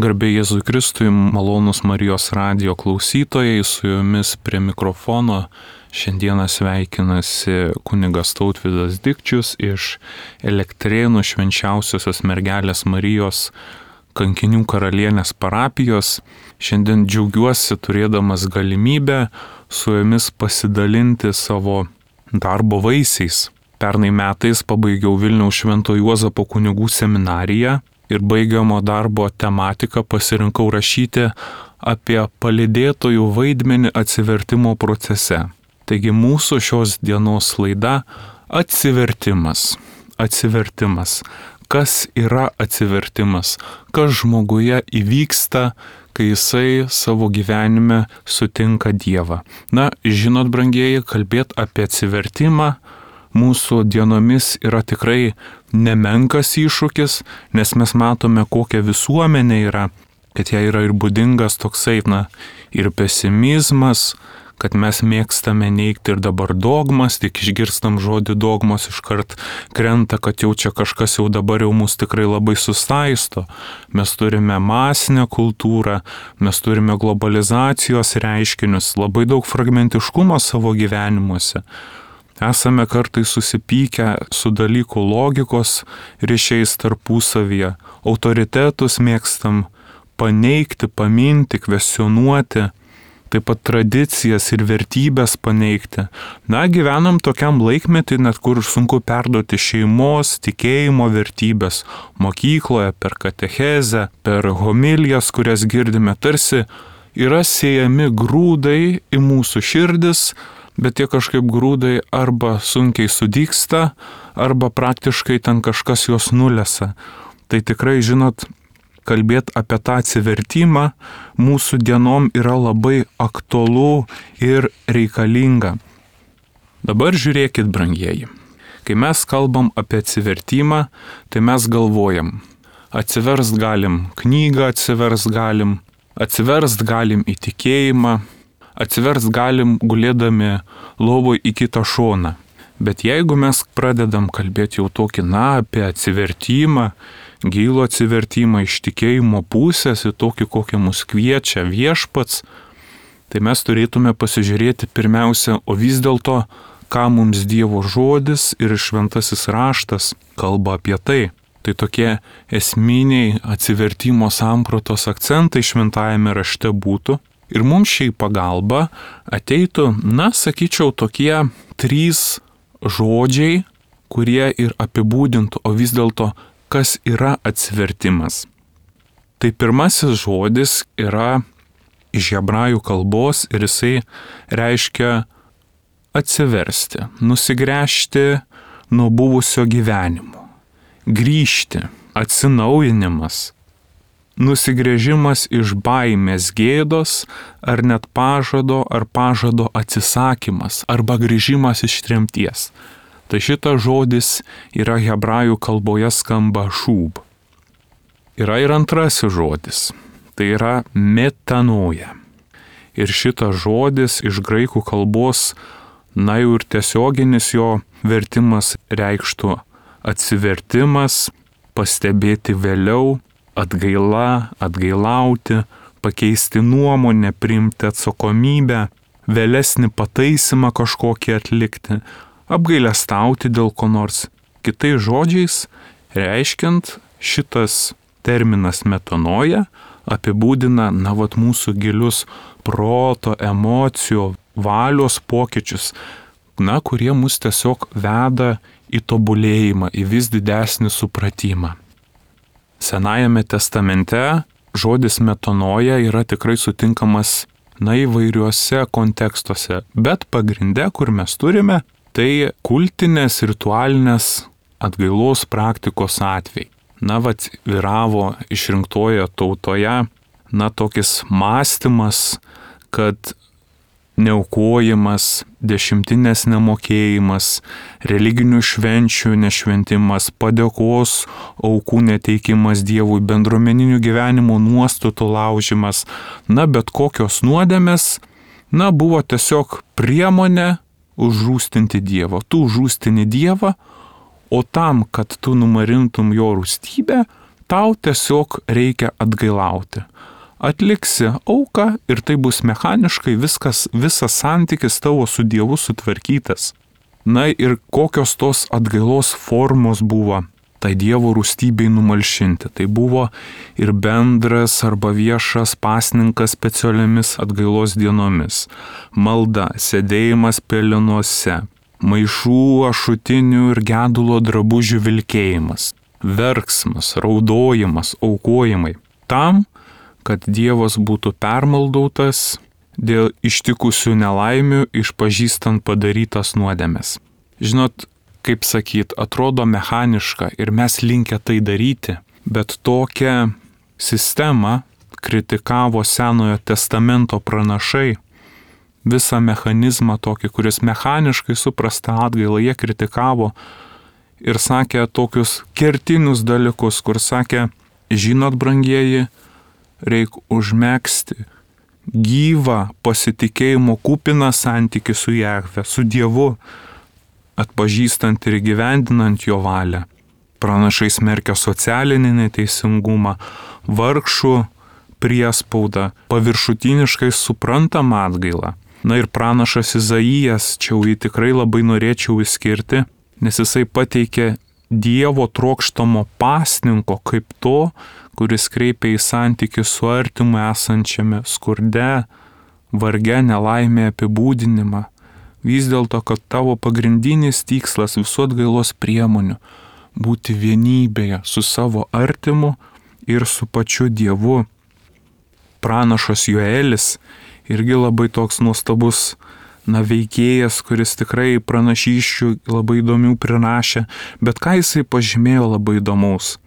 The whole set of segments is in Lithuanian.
Garbė Jėzui Kristui, malonūs Marijos radijo klausytojai, su jumis prie mikrofono šiandieną sveikinasi kunigas Tautvydas Dikčius iš Elektrėnų Švenčiausiosios Mergelės Marijos Kankinių karalienės parapijos. Šiandien džiaugiuosi turėdamas galimybę su jumis pasidalinti savo darbo vaisiais. Pernai metais pabaigiau Vilniaus Švento Juozapo kunigų seminariją ir baigiamo darbo tematiką pasirinkau rašyti apie palydėtojų vaidmenį atsivertimo procese. Taigi mūsų šios dienos laida atsivertimas. Atsivertimas. Kas yra atsivertimas? Kas žmoguje įvyksta, kai jisai savo gyvenime sutinka Dievą? Na, žinot, brangieji, kalbėti apie atsivertimą mūsų dienomis yra tikrai nemenkas iššūkis, nes mes matome, kokia visuomenė yra, kad jai yra ir būdingas toksai, ir pesimizmas, kad mes mėgstame neigti ir dabar dogmas, tik išgirstam žodį dogmos iškart krenta, kad jau čia kažkas jau dabar jau mus tikrai labai sustaisto. Mes turime masinę kultūrą, mes turime globalizacijos reiškinius, labai daug fragmentiškumo savo gyvenimuose. Esame kartais susipykę su dalykų logikos ryšiais tarpusavyje, autoritetus mėgstam paneigti, paminti, kvestionuoti, taip pat tradicijas ir vertybės paneigti. Na, gyvenam tokiam laikmetį, net kur sunku perduoti šeimos, tikėjimo vertybės mokykloje, per katechezę, per homilijas, kurias girdime, tarsi yra siejami grūdai į mūsų širdis, bet tie kažkaip grūdai arba sunkiai sudygsta, arba praktiškai ten kažkas juos nulesa. Tai tikrai, žinot, kalbėti apie tą atsivertimą mūsų dienom yra labai aktualu ir reikalinga. Dabar žiūrėkit, brangieji. Kai mes kalbam apie atsivertimą, tai mes galvojam, atsiverst galim knygą, atsiverst galim į tikėjimą, atsiverst galim gulėdami lovoj į kitą šoną. Bet jeigu mes pradedam kalbėti jau tokį, apie atsivertimą, gilų atsivertimą iš tikėjimo pusės, į tokį, kokią mus kviečia viešpats, tai mes turėtume pasižiūrėti pirmiausia, o vis dėlto, ką mums Dievo žodis ir šventasis raštas kalba apie tai. Tai tokie esminiai atsivertimo sampratos akcentai šventajame rašte būtų. Ir mums šiai pagalba ateitų, sakyčiau, tokie 3 žodžiai, kurie ir apibūdintų, o vis dėlto, kas yra atsivertimas. Tai pirmasis žodis yra iš hebrajų kalbos ir jisai reiškia atsiversti, nusigręžti nuo buvusio gyvenimo, grįžti, atsinaujinimas, nusigręžimas iš baimės, gėdos ar net pažado ar pažado atsisakymas arba grįžimas iš tremties. Tai šitas žodis yra hebrajų kalboje skamba šūb. Yra ir antrasis žodis, tai yra metanoja. Ir šitas žodis iš graikų kalbos, jau ir tiesioginis jo vertimas reikštų atsivertimas, pastebėti vėliau, atgaila, atgailauti, pakeisti nuomonę, priimti atsakomybę, vėlesnį pataisimą kažkokį atlikti, apgailestauti dėl ko nors. Kitais žodžiais, reiškiant, šitas terminas metanoja apibūdina, mūsų gilius proto, emocijų, valios pokyčius, kurie mus tiesiog veda į tobulėjimą, į vis didesnį supratimą. Senajame testamente žodis metanoja yra tikrai sutinkamas įvairiuose kontekstuose, bet pagrinde, kur mes turime, tai kultinės, ritualinės atgailos praktikos atvejai. Vyravo išrinktoje tautoje, tokis mąstymas, kad neaukojimas, dešimtinės nemokėjimas, religinių švenčių nešventimas, padėkos aukų neteikimas Dievui, bendruomeninių gyvenimo nuostatų laužimas, bet kokios nuodėmės, buvo tiesiog priemonė užrūstinti Dievą. Tu užrūstini Dievą, o tam, kad tu numarintum jo rūstybę, tau tiesiog reikia atgailauti. Atliksi auką ir tai bus mechaniškai visas santykis tavo su Dievu sutvarkytas. Na ir kokios tos atgailos formos buvo tai Dievo rūstybei numalšinti. Tai buvo ir bendras arba viešas pasninkas specialiomis atgailos dienomis, malda, sėdėjimas pelenuose, maišų, ašutinių ir gedulo drabužių vilkėjimas, verksmas, raudojimas, aukojimai. Tam, kad Dievas būtų permaldautas dėl ištikusių nelaimių, išpažįstant padarytas nuodėmes. Žinot, kaip sakyt, atrodo mechaniška ir mes linkę tai daryti, bet tokią sistemą kritikavo Senojo testamento pranašai, visą mechanizmą tokį, kuris mechaniškai suprasta atgailą, jie kritikavo ir sakė tokius kertinius dalykus, kur sakė, žinot, brangieji, reik užmegzti gyvą pasitikėjimo kupiną santykį su Jahve, su Dievu, atpažįstant ir įgyvendinant jo valią. Pranašai smerkia socialinį neteisingumą, vargšų priespaudą, paviršutiniškai suprantamą atgailą. Na ir pranašas Izaijas, čia jį tikrai labai norėčiau išskirti, nes jisai pateikė Dievo trokštamo pasninko kaip to, kuris kreipia į santykį su artimu esančiame skurde, varge, nelaimė apibūdinimą. Vis dėlto, kad tavo pagrindinis tikslas visų atgailos priemonių būti vienybėje su savo artimu ir su pačiu Dievu. Pranašas Joelis irgi labai toks nuostabus veikėjas, kuris tikrai pranašysčių labai įdomių prirašė, bet ką jisai pažymėjo labai įdomaus.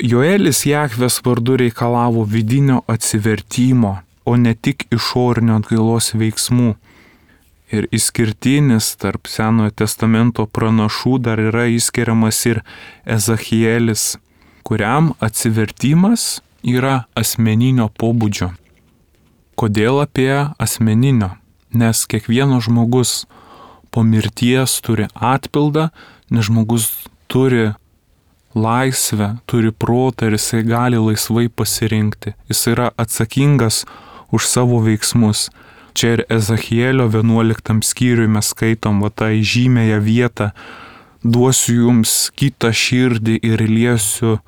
Joelis Jahvės vardu reikalavo vidinio atsivertimo, o ne tik išorinio atgailos veiksmų. Ir išskirtinis tarp Senojo testamento pranašų dar yra išskiriamas ir Ezachielis, kuriam atsivertimas yra asmeninio pobūdžio. Kodėl apie asmeninio? Nes kiekvienas žmogus po mirties turi atpildą, nes žmogus turi laisvę, turi protą ir jisai gali laisvai pasirinkti. Jis yra atsakingas už savo veiksmus. Čia ir Ezachielio 11 skyriui mes skaitom tą žymėją vietą, duosiu jums kitą širdį ir liesiu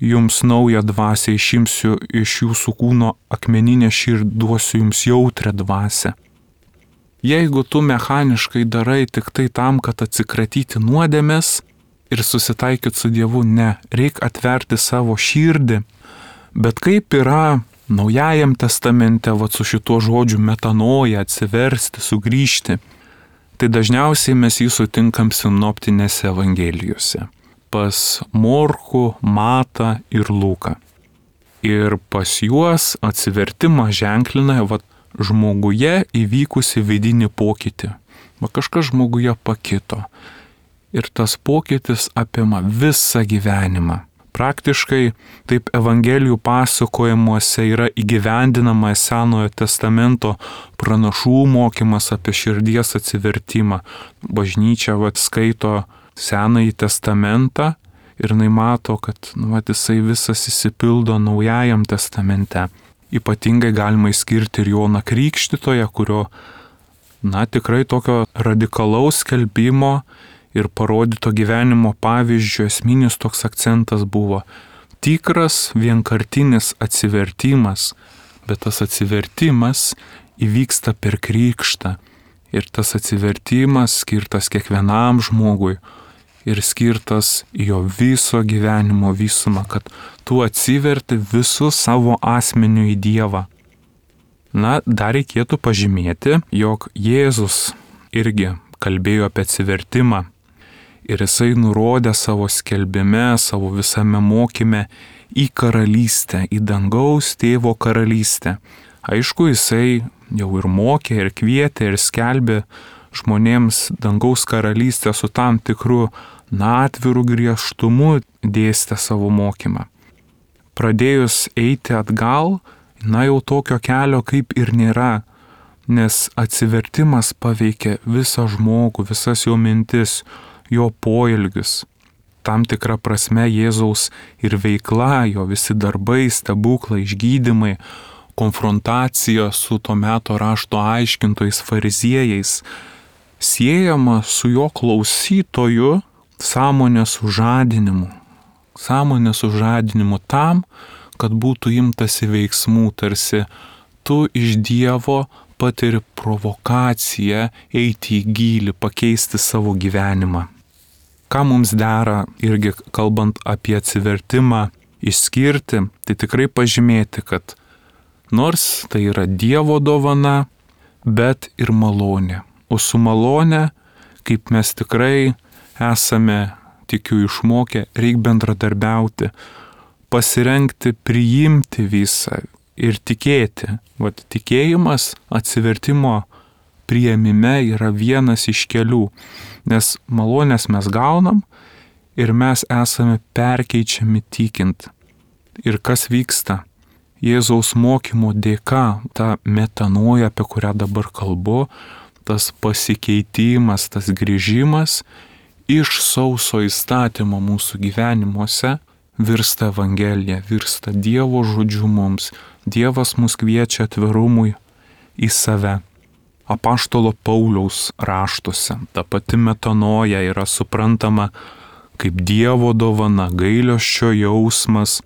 jums naują dvasią, išimsiu iš jūsų kūno akmeninę širdį, duosiu jums jautrią dvasią. Jeigu tu mechaniškai darai tik tai tam, kad atsikratyti nuodėmės ir susitaikyti su Dievu, ne, reik atverti savo širdį. Bet kaip yra Naujajam testamente, su šituo žodžiu metanoja, atsiversti, sugrįžti, tai dažniausiai mes jį sutinkam sinoptinėse evangelijose. Pas Morkų, Matą ir Luką. Ir pas juos atsivertimą ženklina žmoguje įvykusi vidinį pokytį. Kažkas žmoguje pakito. Ir tas pokytis apima visą gyvenimą. Praktiškai taip evangelijų pasakojimuose yra įgyvendinama Senojo testamento pranašų mokymas apie širdies atsivertimą. Bažnyčia skaito Senąjį testamentą ir jinai mato, kad jisai visas įsipildo Naujajam testamente. Ypatingai galima išskirti ir Joną Krikštytoją, kurio, tikrai tokio radikalaus skelbimo ir parodyto gyvenimo pavyzdžio esminis toks akcentas buvo tikras vienkartinis atsivertimas, bet tas atsivertimas įvyksta per krikštą. Ir tas atsivertimas skirtas kiekvienam žmogui ir skirtas jo viso gyvenimo visumą, kad tu atsiverti visų savo asmeniu į Dievą. Dar reikėtų pažymėti, jog Jėzus irgi kalbėjo apie atsivertimą ir jisai nurodė savo skelbime, savo visame mokyme į karalystę, į dangaus tėvo karalystę. Aišku, jisai jau ir mokė, ir kvietė, ir skelbė žmonėms dangaus karalystę su tam tikru atviru griežtumu dėstė savo mokymą. Pradėjus eiti atgal, jau tokio kelio kaip ir nėra, nes atsivertimas paveikia visą žmogų, visas jo mintis, jo poelgius. tam tikra prasme Jėzaus ir veikla, jo visi darbai, stebuklai, išgydymai, konfrontacija su to meto rašto aiškintojais fariziejais siejama su jo klausytojų sąmonės sužadinimu. Sąmonės sužadinimu tam, kad būtų imtasi veiksmų, tarsi tu iš Dievo patiri provokaciją eiti į gylį, pakeisti savo gyvenimą. Ką mums dera irgi kalbant apie atsivertimą išskirti, tai tikrai pažymėti, kad nors tai yra Dievo dovana, bet ir malonė. O su malonė, kaip mes tikrai esame, tikiu, išmokę, reikia bendradarbiauti, pasirengti, priimti visą ir tikėti. Vat tikėjimas atsivertimo priėmime yra vienas iš kelių, nes malonės mes gaunam ir mes esame perkeičiami tikint. Ir kas vyksta? Jėzaus mokymo dėka, ta metanoja, apie kurią dabar kalbu, tas pasikeitimas, tas grįžimas iš sauso įstatymo mūsų gyvenimuose virsta Evangelija, virsta Dievo žodžiu mums. Dievas mus kviečia atvirumui į save. Apaštalo Pauliaus raštuose ta pati metanoja yra suprantama kaip Dievo dovana, gailesčio jausmas,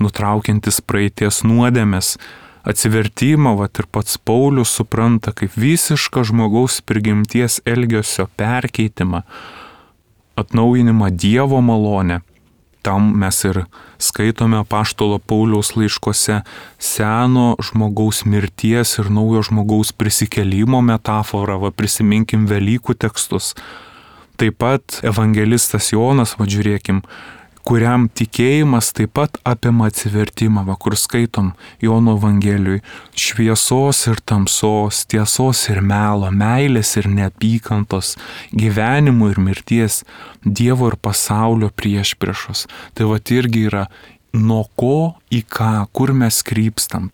nutraukiantis praeities nuodėmes. Atsivertimą ir pats Paulius supranta kaip visišką žmogaus prigimties elgesio perkeitimą, atnaujinimą Dievo malonę. Tam mes ir skaitome apaštalo Pauliaus laiškuose seno žmogaus mirties ir naujo žmogaus prisikėlimo metaforą, prisiminkim Velykų tekstus. Taip pat evangelistas Jonas, žiūrėkim, kuriam tikėjimas taip pat apima atsivertimą, kur skaitom Jono Evangelijui, šviesos ir tamsos, tiesos ir melo, meilės ir neapykantos, gyvenimo ir mirties, Dievo ir pasaulio priešpriešos. Tai irgi yra nuo ko į ką, kur mes krypstam.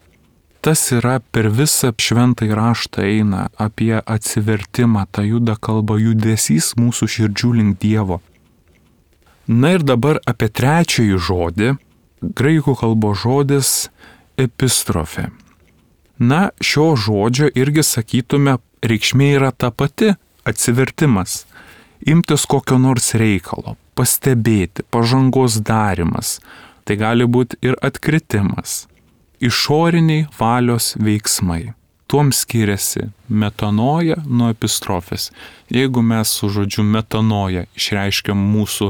Tas yra per visą šventąjį raštą eina apie atsivertimą, ta juda kalba judesys mūsų širdžių link Dievo. Na ir dabar apie trečiąjį žodį, graikų kalbos žodis epistrofė. Na, šio žodžio irgi sakytume, reikšmė yra ta pati - atsivertimas, imtis kokio nors reikalo, pastebėti, pažangos darimas, tai gali būti ir atkritimas, išoriniai valios veiksmai. Tuom skiriasi metanoja nuo epistrofės. Jeigu mes su žodžiu metanoja išreiškiam mūsų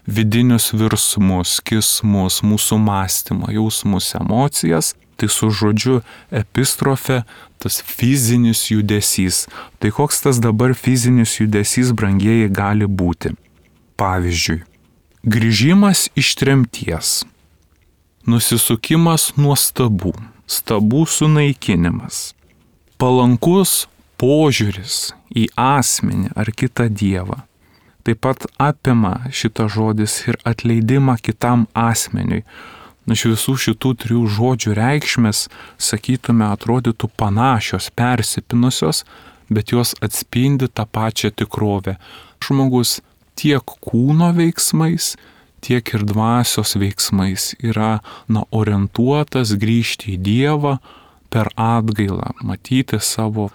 vidinius virsmus, kismus, mūsų mąstymą, jausmus, emocijas, tai su žodžiu epistrofė tas fizinis judesys. Tai koks tas dabar fizinis judesys, brangieji, gali būti? Pavyzdžiui, grįžimas iš tremties, nusisukimas nuo stabų, stabų sunaikinimas, palankus požiūris į asmenį ar kitą dievą. Taip pat apima šitas žodis ir atleidimą kitam asmeniui. Iš visų šitų trijų žodžių reikšmės, sakytume, atrodytų panašios, persipinusios, bet jos atspindi tą pačią tikrovę. Žmogus tiek kūno veiksmais, tiek ir dvasios veiksmais yra orientuotas grįžti į Dievą per atgailą, matyti savo,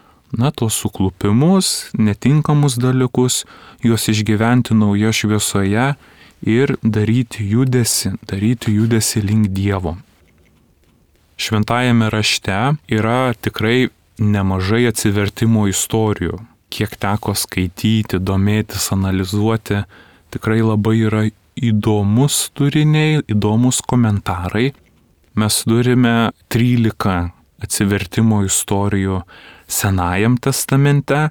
tos suklupimus, netinkamus dalykus, juos išgyventi nauja šviesoje ir daryti judesį link Dievo. Šventajame rašte yra tikrai nemažai atsivertimo istorijų. Kiek teko skaityti, domėtis, analizuoti, tikrai labai yra įdomus turiniai, įdomus komentarai. Mes turime 13 atsivertimo istorijų Senajam testamente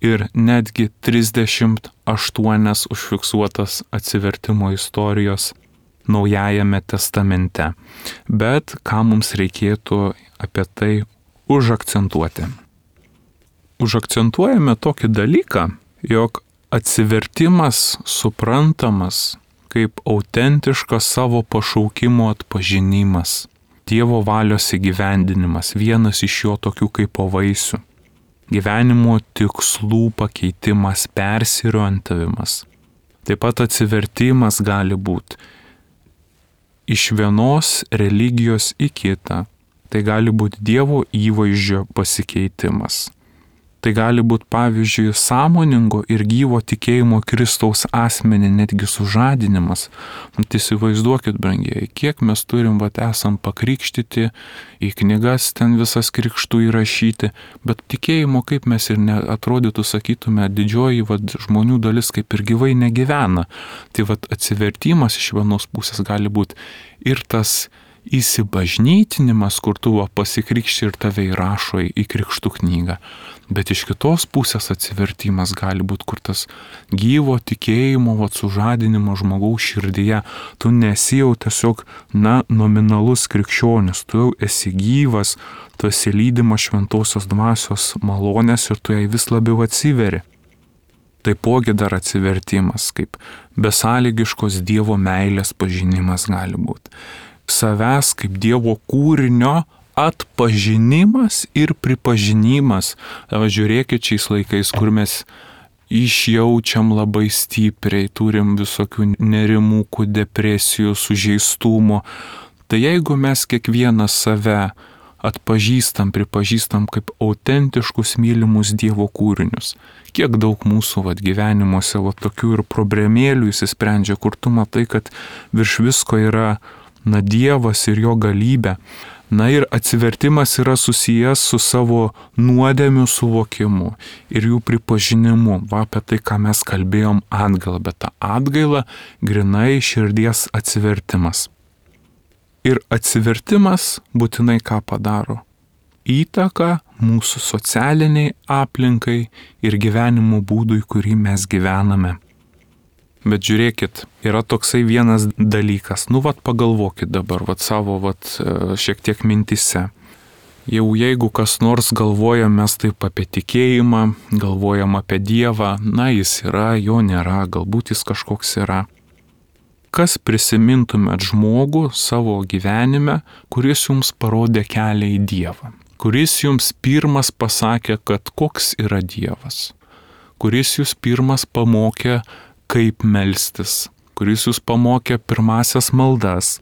ir netgi 38 užfiksuotas atsivertimo istorijos Naujajame testamente. Bet ką mums reikėtų apie tai užakcentuoti? Užakcentuojame tokį dalyką, jog atsivertimas suprantamas kaip autentiškas savo pašaukimo atpažinimas, Dievo valios įgyvendinimas, vienas iš jo tokių kaip vaisių, gyvenimo tikslų pakeitimas, persiriorientavimas. Taip pat atsivertimas gali būti iš vienos religijos į kitą. Tai gali būti Dievo įvaizdžio pasikeitimas. Tai gali būti, pavyzdžiui, sąmoningo ir gyvo tikėjimo Kristaus asmenį netgi sužadinimas. Tai įsivaizduokit, brangieji, kiek mes turim, esam pakrikštyti, į knygas ten visas krikštų įrašyti, bet tikėjimo, kaip mes ir neatrodytų, sakytume, didžioji žmonių dalis kaip ir gyvai negyvena. Tai atsivertimas iš vienos pusės gali būti ir tas įsibažnytinimas, kur tu pasikrikšti ir tave įrašo į krikštų knygą. Bet iš kitos pusės atsivertimas gali būti, kur tas gyvo tikėjimo sužadinimo žmogaus širdyje. Tu nesi jau tiesiog, nominalus krikščionis, tu jau esi gyvas, tu esi lydimas šventosios dvasios malonės ir tu jai vis labiau atsiveri. Taipogi dar atsivertimas, kaip besąlygiškos Dievo meilės pažinimas gali būti. Savęs kaip Dievo kūrinio atpažinimas ir pripažinimas. Žiūrėkit šiais laikais, kur mes išjaučiam labai stipriai, turim visokių nerimukų, depresijų, sužeistumo. Tai jeigu mes kiekvieną save atpažįstam, pripažįstam kaip autentiškus mylimus Dievo kūrinius, kiek daug mūsų gyvenimuose tokių ir problemėlių įsisprendžia, kur tu matai, kad virš visko yra Dievas ir jo galybė. Ir atsivertimas yra susijęs su savo nuodėmių suvokimu ir jų pripažinimu. Apie tai, ką mes kalbėjom atgailą, bet ta atgaila grinai širdies atsivertimas. Ir atsivertimas būtinai ką padaro? Įtaką mūsų socialiniai aplinkai ir gyvenimo būdui, kurį mes gyvename. Bet žiūrėkit, yra toksai vienas dalykas. Pagalvokit dabar, savo šiek tiek mintise. Jau jeigu kas nors galvojam mes taip apie tikėjimą, galvojam apie Dievą, jis yra, jo nėra, galbūt jis kažkoks yra. Kas prisimintumėt žmogų savo gyvenime, kuris jums parodė kelią į Dievą? Kuris jums pirmas pasakė, kad koks yra Dievas? Kuris jūs pirmas pamokė, kaip melstis, kuris jūs pamokė pirmasias maldas.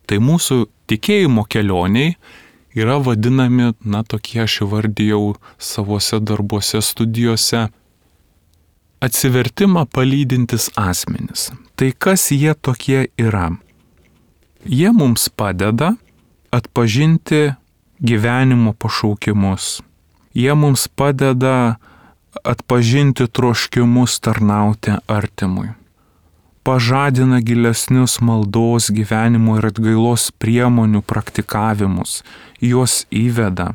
Tai mūsų tikėjimo kelioniai yra vadinami, tokie aš įvardijau savose darbuose, studijose, atsivertimą palydintis asmenys. Tai kas jie tokie yra? Jie mums padeda atpažinti gyvenimo pašaukimus. Jie mums padeda atpažinti troškimus tarnauti artimui. Pažadina gilesnius maldos, gyvenimo ir atgailos priemonių praktikavimus. Juos įveda.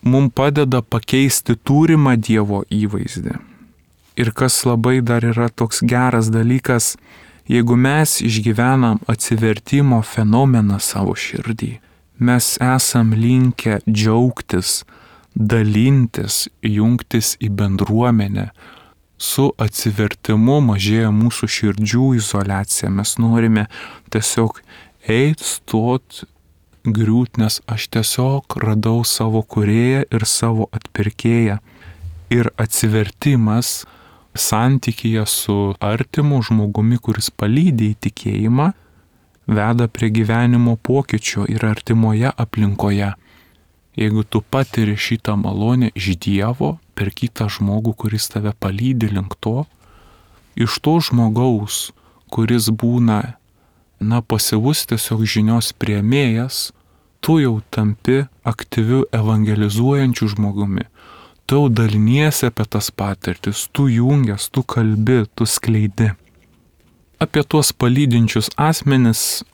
Mums padeda pakeisti turimą Dievo įvaizdį. Ir kas labai dar yra toks geras dalykas, jeigu mes išgyvenam atsivertimo fenomeną savo širdį, mes esam linkę džiaugtis, dalintis, jungtis į bendruomenę. Su atsivertimu mažėja mūsų širdžių izoliacija. Mes norime tiesiog stot, griūt, nes aš tiesiog radau savo kūrėją ir savo atpirkėją. Ir atsivertimas santykyje su artimu žmogumi, kuris palydi į tikėjimą, veda prie gyvenimo pokyčio ir artimoje aplinkoje. Jeigu tu patiri šitą malonę iš Dievo per kitą žmogų, kuris tave palydi link to, iš to žmogaus, kuris būna, pasyvus tiesiog žinios priėmėjas, tu jau tampi aktyviu evangelizuojančiu žmogumi. Tu jau daliniesi apie tas patirtis, tu jungias, tu kalbi, tu skleidi. Apie tuos palydinčius asmenis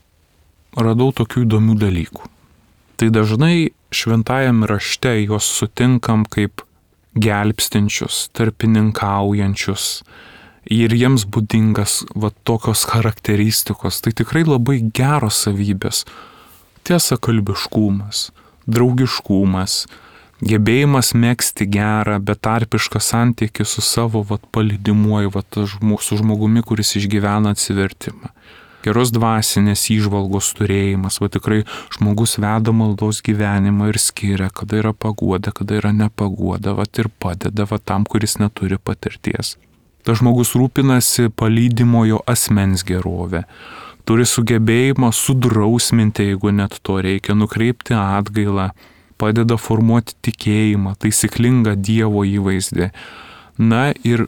radau tokių įdomių dalykų. Tai dažnai šventajame rašte juos sutinkam kaip gelbstinčius, tarpininkaujančius ir jiems būdingas tokios charakteristikos. Tai tikrai labai geros savybės. Tiesakalbiškumas, draugiškumas, gebėjimas megzti gerą, betarpišką santykį su savo palydimuoju, su žmogumi, kuris išgyvena atsivertimą. Geros dvasinės įžvalgos turėjimas, tikrai žmogus veda maldos gyvenimą ir skiria, kada yra paguoda, kada yra nepaguoda, ir padeda tam, kuris neturi patirties. Tas žmogus rūpinasi palydimojo asmens gerovę. Turi sugebėjimą sudrausminti, jeigu net to reikia, nukreipti atgailą, padeda formuoti tikėjimą, taisyklingą Dievo įvaizdį. Na ir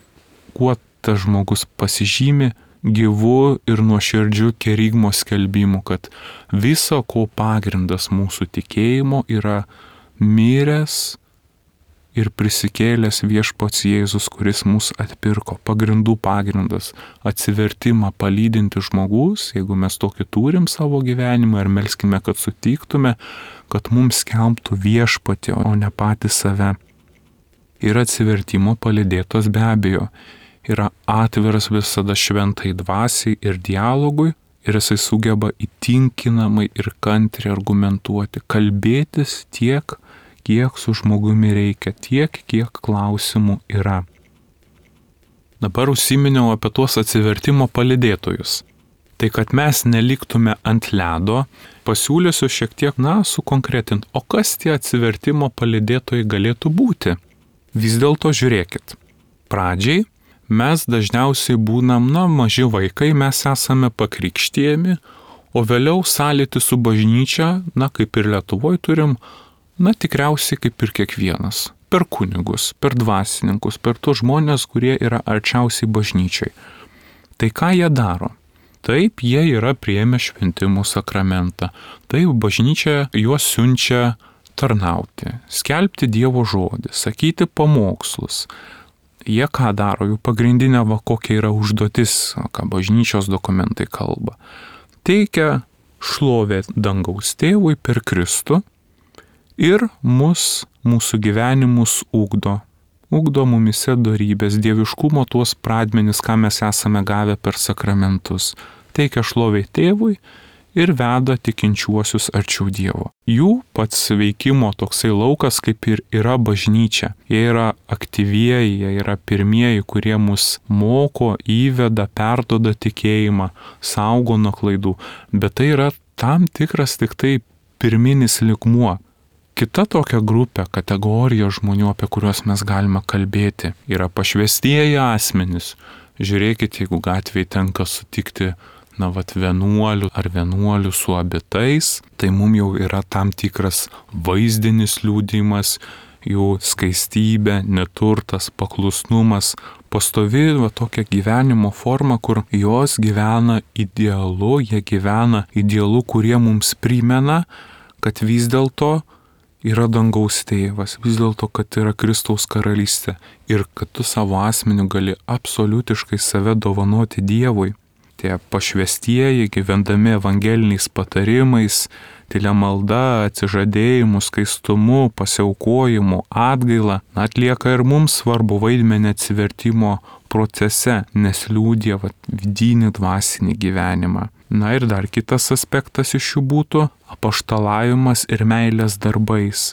kuo tas žmogus pasižymi? Gyvu ir nuoširdžiu kerygmo skelbimu, kad viso ko pagrindas mūsų tikėjimo yra miręs ir prisikėlęs viešpats Jėzus, kuris mus atpirko. Pagrindų pagrindas - atsivertimą palydinti žmogus, jeigu mes tokį turim savo gyvenimą ir melskime, kad sutiktume, kad mums skelbtų viešpatį, o ne patį save. Ir atsivertimo palydėtos be abejo yra atviras visada šventai dvasiai ir dialogui, ir jisai sugeba įtinkinamai ir kantriai argumentuoti, kalbėtis tiek, kiek su žmogumi reikia, tiek, kiek klausimų yra. Dabar užsiminiau apie tuos atsivertimo palydėtojus. Tai kad mes neliktume ant ledo, pasiūlysiu šiek tiek, sukonkretinti, o kas tie atsivertimo palydėtojai galėtų būti? Vis dėlto žiūrėkit. Pradžiai mes dažniausiai būnam, maži vaikai, mes esame pakrikštėjami, o vėliau sąlytį su bažnyčia, kaip ir Lietuvoje turim, tikriausiai kaip ir kiekvienas. Per kunigus, per dvasininkus, per tos žmonės, kurie yra arčiausiai bažnyčiai. Tai ką jie daro? Taip, jie yra priėmę šventimų sakramentą. Taip, bažnyčia juos siunčia tarnauti, skelbti Dievo žodį, sakyti pamokslus. Jie ką daro, jų pagrindinė kokia yra užduotis, ką bažnyčios dokumentai kalba. Teikia šlovę dangaus tėvui per Kristų ir mūsų gyvenimus ugdo mumise dorybės, dieviškumo tuos pradmenis, ką mes esame gavę per sakramentus. Teikia šlovę tėvui ir veda tikinčiuosius arčiau Dievo. Jų pats veikimo toksai laukas kaip ir yra bažnyčia. Jie yra aktyvieji, jie yra pirmieji, kurie mus moko, įveda, perduoda tikėjimą, saugo nuo klaidų. Bet tai yra tam tikras tik tai pirminis lygmuo. Kita tokia grupė, kategorija žmonių, apie kuriuos mes galime kalbėti, yra pašvestieji asmenys. Žiūrėkit, jeigu gatvėje tenka sutikti vienuolių su abitais, tai mums jau yra tam tikras vaizdinis liudijimas, jų skaistybė, neturtas, paklusnumas, pastovi tokia gyvenimo forma, kur jos gyvena idealu, jie gyvena idealu, kurie mums primena, kad vis dėlto yra dangaus tėvas, vis dėlto, kad yra Kristaus karalystė ir kad tu savo asmeniu gali absoliutiškai save dovanoti Dievui. Tie pašvestieji, gyvendami evangeliniais patarimais, tylia malda, atsižadėjimu, skaistumu, pasiaukojimu, atgaila, atlieka ir mums svarbu vaidmenį atsivertimo procese, nes liudija vidinį dvasinį gyvenimą. Ir dar kitas aspektas iš jų būtų apaštalavimas ir meilės darbais,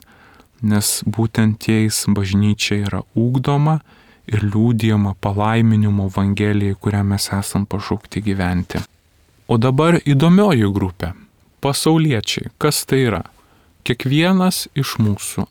nes būtent jais bažnyčia yra ugdoma ir liūdijama palaiminimo evangelijai, kurią mes esam pašaukti gyventi. O dabar įdomioji grupė - pasauliečiai. Kas tai yra? Kiekvienas iš mūsų.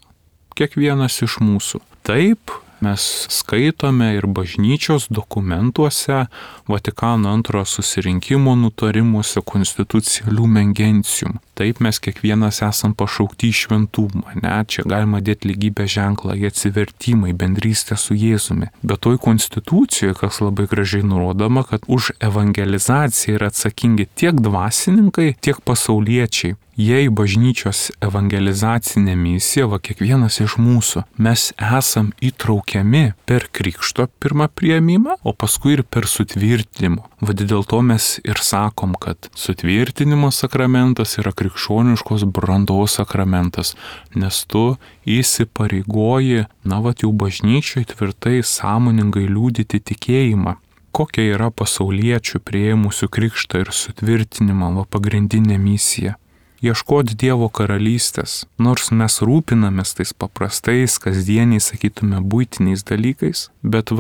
Taip, mes skaitome ir bažnyčios dokumentuose, Vatikano antrojo susirinkimo nutarimuose, Constitutio Lumen Gentium. Taip, mes kiekvienas esam pašaukti į šventumą, čia galima dėti lygybės ženklą, į atsivertimą, į bendrystę su Jėzumi. Bet toj konstitucijoje, kas labai gražiai nurodoma, kad už evangelizaciją yra atsakingi tiek dvasininkai, tiek pasauliečiai. Jei bažnyčios evangelizacinė misija, kiekvienas iš mūsų, mes esam įtraukiami per krikšto pirmą priėmimą, o paskui ir per sutvirtinimą. Dėl to mes ir sakom, kad sutvirtinimo sakramentas yra krikščioniškos brandos sakramentas, nes tu įsipareigoji, jau bažnyčiai tvirtai, sąmoningai liudyti tikėjimą. Kokia yra pasauliečių priėmusių krikštą ir sutvirtinimą pagrindinė misija? Ieškoti Dievo karalystės, nors mes rūpinamės tais paprastais, kasdieniais, sakytume, buitiniais dalykais, bet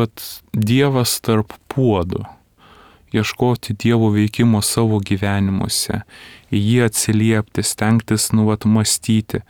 Dievas tarp puodų. Ieškoti Dievo veikimo savo gyvenimuose, į jį atsiliepti, stengtis mąstyti.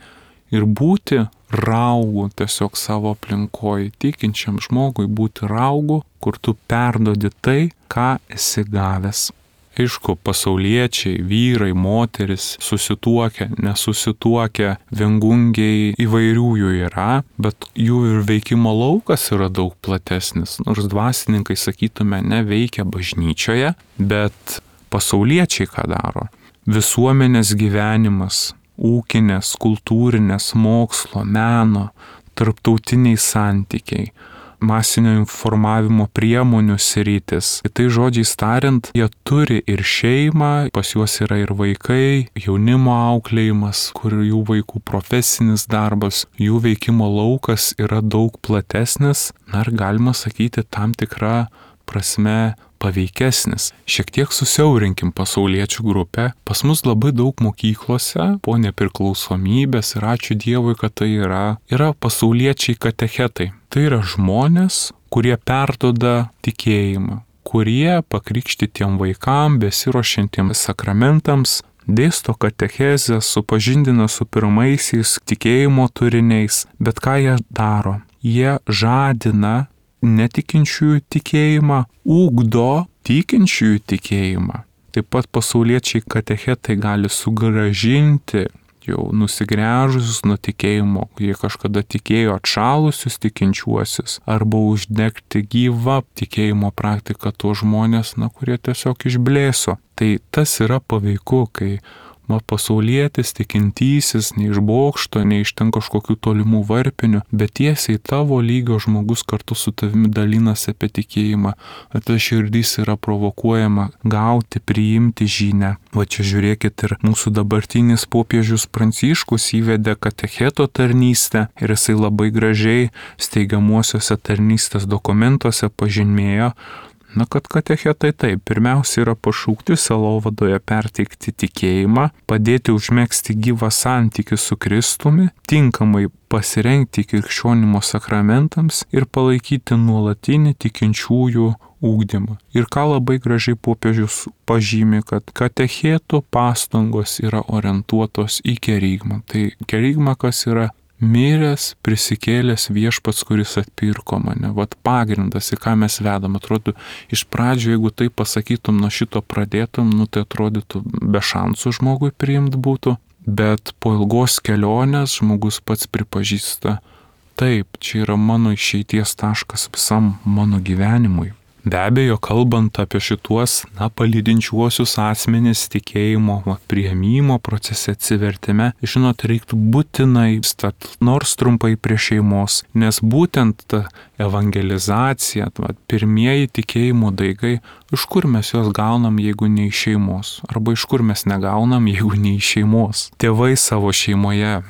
ir būti raugu tiesiog savo aplinkoje, tikinčiam žmogui būti raugu, kur tu perduodi tai, ką esi gavęs. Aišku, pasauliečiai, vyrai, moteris, susituokę, nesusituokę, viengungiai įvairių jų yra, bet jų ir veikimo laukas yra daug platesnis. Nors dvasininkai, sakytume, neveikia bažnyčioje, bet pasauliečiai ką daro? Visuomenės gyvenimas, ūkinės, kultūrinės, mokslo, meno, tarptautiniai santykiai, masinio informavimo priemonių sritis. Tai žodžiais tariant, jie turi ir šeimą, pas juos yra ir vaikai, jaunimo auklėjimas, kur jų vaikų profesinis darbas, jų veikimo laukas yra daug platesnis, ir galima sakyti tam tikrą prasme paveikesnis. Šiek tiek susiaurinkim pasauliečių grupę. Pas mus labai daug mokyklose po nepriklausomybės ir ačiū Dievui, kad tai yra pasauliečiai katechetai. Tai yra žmonės, kurie perduoda tikėjimą, kurie pakrikštytiem vaikam, besiruošiantiems sakramentams, dėsto katechezę, supažindina su pirmaisiais tikėjimo turiniais. Bet ką jie daro? Jie žadina netikinčiųjų tikėjimą, ugdo tikinčiųjų tikėjimą. Taip pat pasauliečiai katechetai gali sugrąžinti jau nusigręžusius nuo tikėjimo, jie kažkada tikėjo atšalusius tikinčiuosius, arba uždegti gyvą tikėjimo praktiką tuos žmonės, kurie tiesiog išblėso. Tai tas yra paveiku, kai pasaulietis, tikintysis, ne iš bokšto, ne iš ten kažkokių tolimų varpinių, bet tiesiai tavo lygio žmogus kartu su tavimi dalinasi apie tikėjimą. Ta širdis yra provokuojama gauti, priimti žinią. Va čia žiūrėkit, ir mūsų dabartinis popiežius Pranciškus įvedė katecheto tarnystę ir jisai labai gražiai steigiamuosiuose tarnystės dokumentuose pažymėjo, kad katechetai taip, pirmiausia yra pašaukti sielovadoje perteikti tikėjimą, padėti užmegzti gyvą santykį su Kristumi, tinkamai pasirengti krikščionimo sakramentams ir palaikyti nuolatinį tikinčiųjų ugdymą. Ir ką labai gražiai popiežius pažymi, kad katechetų pastangos yra orientuotos į kerygmą. Tai kerygma kas yra? Miręs, prisikėlęs viešpats, kuris atpirko mane. Vat pagrindas, į ką mes vedam. Atrodo, iš pradžio, jeigu tai pasakytum, nuo šito pradėtum, tai atrodytų be šansų žmogui priimti būtų. Bet po ilgos kelionės žmogus pats pripažįsta, taip, čia yra mano išeities taškas visam mano gyvenimui. Be abejo, kalbant apie šituos, palydinčiuosius asmenis tikėjimo priėmimo procese, atsivertime, žinot, reiktų būtinai stat nors trumpai prie šeimos, nes būtent ta evangelizacija, pirmieji tikėjimo daigai, iš kur mes juos gaunam, jeigu ne iš šeimos, arba iš kur mes negaunam, jeigu ne iš šeimos. Tėvai savo šeimoje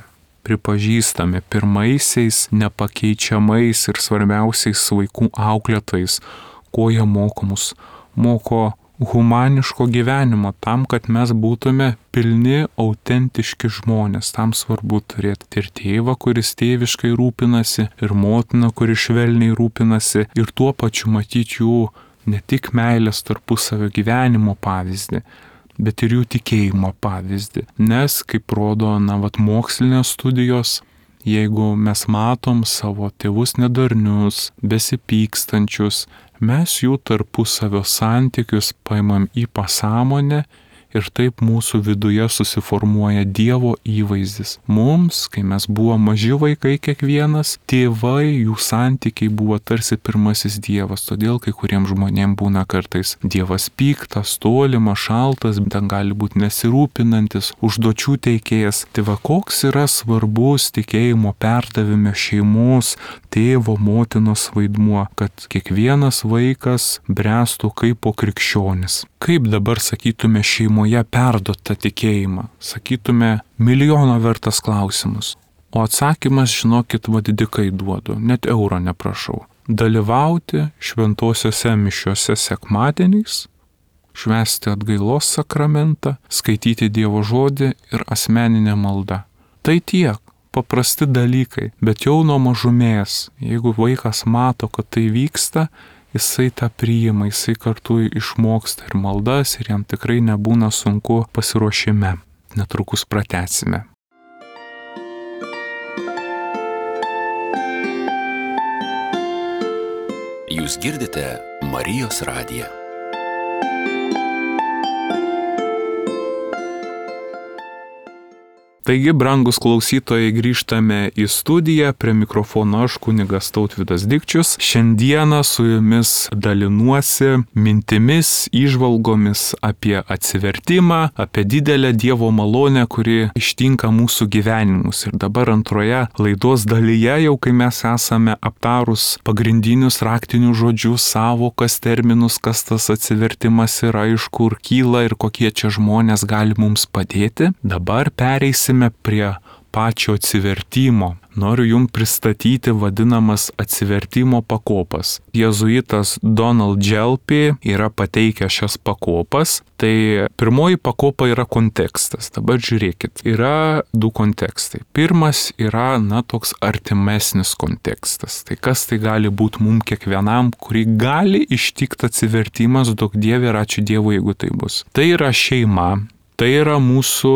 pripažįstami pirmaisiais, nepakeičiamais ir svarbiausiais vaikų auklėtojais, ko jie moko mus? Moko humaniško gyvenimo, tam, kad mes būtume pilni, autentiški žmonės. Tam svarbu turėti ir tėvą, kuris tėviškai rūpinasi, ir motiną, kuri švelniai rūpinasi, ir tuo pačiu matyti jų ne tik meilės tarpusavio gyvenimo pavyzdį, bet ir jų tikėjimo pavyzdį. Nes, kaip rodo, mokslinės studijos, jeigu mes matom savo tėvus nedarnius, besipykstančius, mes jų tarpusavio santykius paimam į pasąmonę ir taip mūsų viduje susiformuoja Dievo įvaizdis. Mums, kai mes buvome maži vaikai kiekvienas, tėvai, jų santykiai buvo tarsi pirmasis Dievas, todėl kai kuriems žmonėms būna kartais Dievas piktas, tolimas, šaltas, ten gali būti nesirūpinantis, užduočių teikėjas. Tai koks yra svarbus tikėjimo perdavime šeimos, tėvo, motinos vaidmuo, kad kiekvienas vaikas bręstų kaip po krikščionis. Kaip dabar sakytume šeimoje perduot tą tikėjimą? Sakytume milijono vertas klausimus. O atsakymas, žinokit, didikai duodu, net euro neprašau. Dalyvauti šventosiuose mišiuose sekmadieniais, švęsti atgailos sakramentą, skaityti Dievo žodį ir asmeninę maldą. Tai tiek. Paprasti dalykai, bet jau nuo mažumės, jeigu vaikas mato, kad tai vyksta, jisai tą priima, jisai kartu išmoksta ir maldas ir jam tikrai nebūna sunku pasiruošime. Netrukus pratęsime. girdite Marijos radiją. Taigi, brangus klausytojai, grįžtame į studiją, prie mikrofono aš, kunigas Tautvydas Dikčius. Šiandieną su jumis dalinuosi mintimis, įžvalgomis apie atsivertimą, apie didelę Dievo malonę, kuri ištinka mūsų gyvenimus. Ir dabar antroje laidos dalyje, jau kai mes esame aptarus pagrindinius raktinius žodžius, savokas, terminus, kas tas atsivertimas yra, iš kur kyla ir kokie čia žmonės gali mums padėti, dabar pereisime prie pačio atsivertimo. Noriu jums pristatyti vadinamas atsivertimo pakopas. Jėzuitas Donald Dželpy yra pateikęs šias pakopas. Tai pirmoji pakopa yra kontekstas. Dabar žiūrėkit, yra du kontekstai. Pirmas yra, toks artimesnis kontekstas. Tai kas tai gali būti mums kiekvienam, kurį gali ištikti atsivertimas, duok Dieve ir ačiū Dievui, jeigu tai bus. Tai yra šeima. Tai yra mūsų,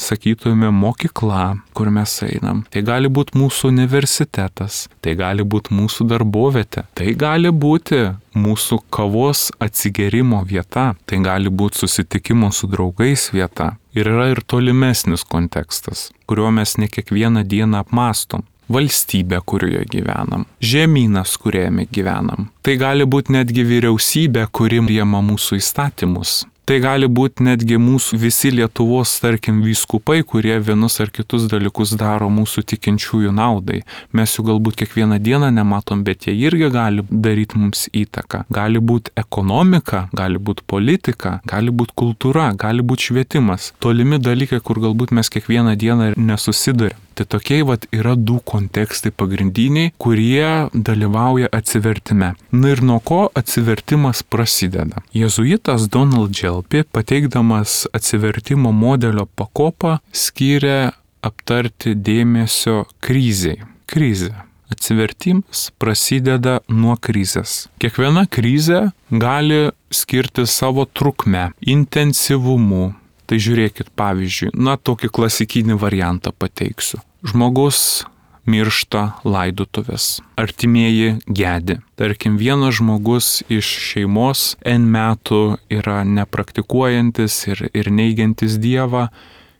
sakytume, mokykla, kur mes einam. Tai gali būti mūsų universitetas, tai gali būti mūsų darbovietė, tai gali būti mūsų kavos atsigerimo vieta, tai gali būti susitikimo su draugais vieta. Ir yra ir tolimesnis kontekstas, kuriuo mes ne kiekvieną dieną apmastom. Valstybė, kurioje gyvenam, žemynas, kuriame gyvenam. Tai gali būti netgi vyriausybė, kuri priima mūsų įstatymus. Tai gali būti netgi mūsų visi Lietuvos, tarkim, vyskupai, kurie vienus ar kitus dalykus daro mūsų tikinčiųjų naudai. Mes jų galbūt kiekvieną dieną nematom, bet jie irgi gali daryti mums įtaką. Gali būti ekonomika, gali būti politika, gali būti kultūra, gali būti švietimas. Tolimi dalykai, kur galbūt mes kiekvieną dieną nesusidurėm. Tai tokie yra du kontekstai pagrindiniai, kurie dalyvauja atsivertime. Ir nuo ko atsivertimas prasideda? Jėzuitas Donald Dželpy, pateikdamas atsivertimo modelio pakopą, skyrė aptarti dėmesio krizei. Krizė. Atsivertimas prasideda nuo krizės. Kiekviena krizė gali skirti savo trukmę, intensyvumu. Tai žiūrėkit, pavyzdžiui, tokį klasikinį variantą pateiksiu. Žmogus miršta laidotuvės. Artimieji gedi. Tarkim, vienas žmogus iš šeimos N metų yra nepraktikuojantis ir neigiantis Dievą.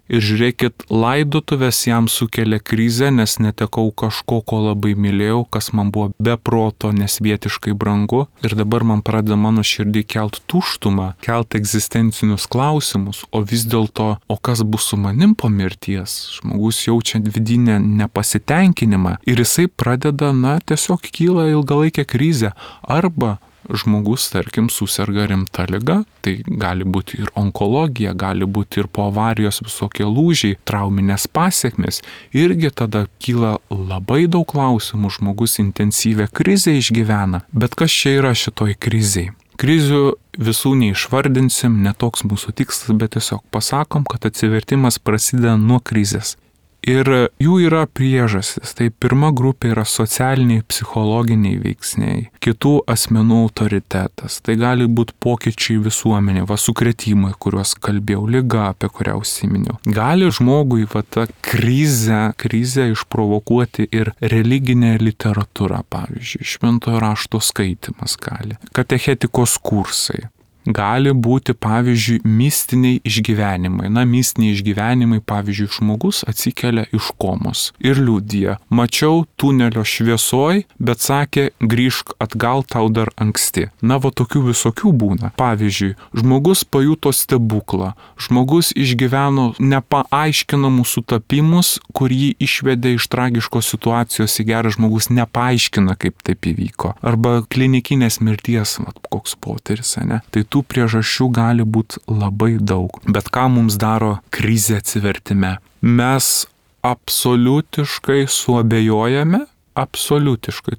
Ir žiūrėkit, laidotuvės jam sukelia krizę, nes netekau kažko, ko labai mylėjau, kas man buvo be proto nesvietiškai brangu. Ir dabar man pradeda mano širdį kelt tuštumą, kelt egzistencinius klausimus, o vis dėlto, o kas bus su manim po mirties? Žmogus jaučia vidinę nepasitenkinimą ir jisai pradeda, tiesiog kyla ilgalaikė krizė. Arba žmogus, tarkim, suserga rimta liga, tai gali būti ir onkologija, gali būti ir po avarijos visokie lūžiai, trauminės pasiekmes. Irgi tada kyla labai daug klausimų, žmogus intensyvę krizę išgyvena. Bet kas čia yra šitoj krizėj? Krizių visų neišvardinsim, netoks mūsų tikslas, bet tiesiog pasakom, kad atsivertimas prasideda nuo krizės. Ir jų yra priežastis. Tai pirma grupė yra socialiniai, psichologiniai veiksniai, kitų asmenų autoritetas. Tai gali būti pokyčiai visuomenė, sukrėtimai, kuriuos kalbėjau, liga, apie kurią užsiminiau. Gali žmogui ta krizę išprovokuoti ir religinė literatūra, pavyzdžiui, šventojo rašto skaitimas gali, katechetikos kursai. Gali būti, pavyzdžiui, mistiniai išgyvenimai. Mistiniai išgyvenimai, pavyzdžiui, žmogus atsikelia iš komos ir liudija. Mačiau tunelio šviesoj, bet sakė, grįžk atgal, tau dar anksti. Tokių visokių būna. Pavyzdžiui, žmogus pajuto stebuklą. Žmogus išgyveno nepaaiškinamus sutapimus, kur jį išvedė iš tragiškos situacijos į gerą. Žmogus nepaaiškina, kaip taip įvyko. Arba klinikinės mirties, koks potyris, ne? Tai tų priežasčių gali būti labai daug. Bet ką mums daro krizė atsivertime? Mes absoliutiškai suabejojame,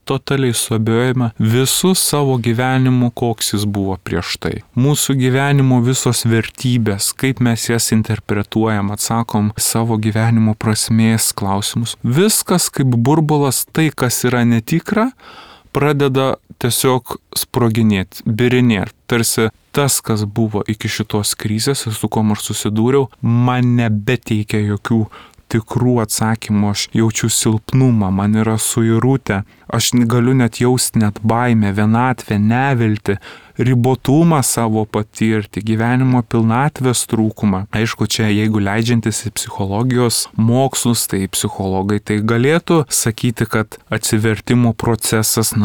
totaliai suabejojame visų savo gyvenimu, koks jis buvo prieš tai. Mūsų gyvenimo visos vertybės, kaip mes jas interpretuojam, atsakom savo gyvenimo prasmės klausimus. Viskas kaip burbulas, tai kas yra netikra, pradeda tiesiog sproginėti, birinėti. Tarsi tas, kas buvo iki šitos krizės ir su kuo aš susidūriau, man nebeteikia jokių tikrų atsakymų, aš jaučiu silpnumą, man yra suirutė, aš galiu net jausti net baimę, vienatvę, neviltį, ribotumą savo patirti, gyvenimo pilnatvės trūkumą. Aišku, čia jeigu leidžiantis į psichologijos mokslus, tai psichologai tai galėtų sakyti, kad atsivertimo procesas,